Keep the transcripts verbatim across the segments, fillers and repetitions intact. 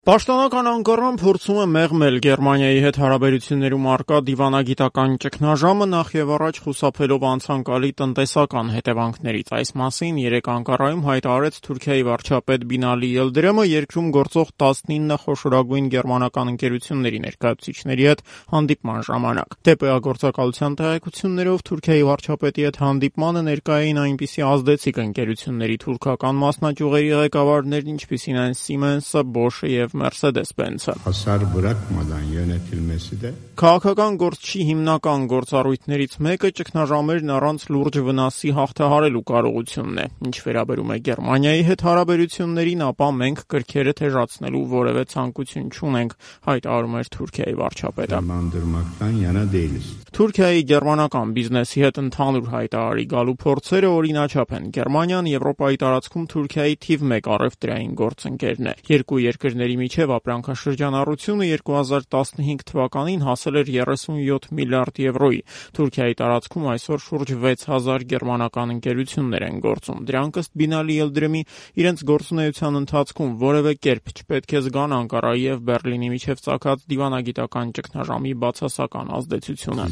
Պաշտոնական Անկարան փորձում է մեղմել Գերմանիայի հետ հարաբերություններում առկա դիվանագիտական ճգնաժամը, նախ եւ առաջ խուսափելով անցանկալի տնտեսական հետևանքներից։ Այս մասին երեկ Անկարայում հայտարարեց Թուրքիայի վարչապետ Բինալի Յիլդիրիմը երկրում գործող տասնինը խոշորագույն գերմանական ընկերությունների ներկայացուցիչների հետ հանդիպման ժամանակ։ ԴՊԱ գործակալության տեղեկություններով Թուրքիայի վարչապետի հետ հանդիպմանը ներկա էին այնպիսի ազդեցիկ ընկերությունների թուրքական մասնաճյուղերի ղեկավարներ, ինչպիսին են Siemens-ը, Bosch-ը եւ Mercedes-Benz-ը։ Քաղաքական գործչի հիմնական գործառույթներից մեկը ճգնաժամերն առանց լուրջ վնասի հաղթահարելու կարողությունն է։ Ինչ վերաբերում է Գերմանիայի հետ հարաբերություններին, ապա մենք կրքերը թեժացնելու որևէ ցանկություն չունենք, հայտարարում էր Թուրքիայի վարչապետը։ Թուրքիայի գերմանական բիզնեսի հետ ընդհանուր հայտարարի գալու փորձերը օրինաչափ են։ Գերմանիան Եվրոպայի տարածքում Թուրքիայի թիվ մեկ առևտրային գործընկերն է։ Երկու երկրների միջև ապրանքաշրջանառությունը երկու հազար տասնհինգ թվականին հասել էր երեսունյոթ միլիարդ եվրոյի։ Թուրքիայի տարածքում այսօր շուրջ վեց հազար գերմանական ընկերություններ են գործում։ Դրանք ըստ Բինալի Յիլդիրիմի իրենց գործունեության ընթացքում որևէ կերպ չպետք է զգան Անկարայի եւ Բեռլինի միջև ծագած դիվանագիտական ճգնաժամի բացասական ազդեցությունը։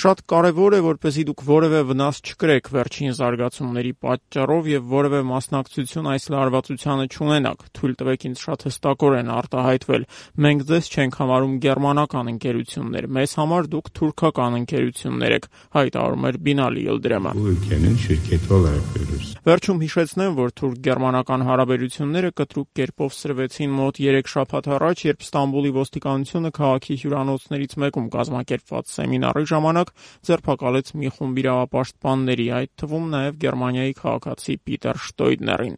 Շատ կարևոր է, որպեսզի դուք որևէ վնաս չկրեք վերջին զարգացումների պատճառով եւ որևէ մասնակցություն այս լարվածությանը չունենաք։ Թույլ տվեք ինձ շատ հստակորեն արտահայտվել։ Մենք ձեզ չենք համարում գերմանական ընկերություններ, մեզ համար դուք թուրքական ընկերություններ եք, հայտարարում էր Բինալի Յիլդիրիմը։ Վերջում հիշեցնեմ, որ թուրք-գերմանական հարաբերությունները կտրուկ կերպով սրվեցին մոտ երեք շաբաթ առաջ, երբ Ստամբուլի ոստիկանությունը քաղաքի հյուրանոցներից մեկում կազմակերպված սեմինարի ժամանակ ձերբակալեց մի խումբ իրավապաշտպանների, այդ թվում նաև Գերմանիայի քաղաքացի Պիտեր Շտոյդներին։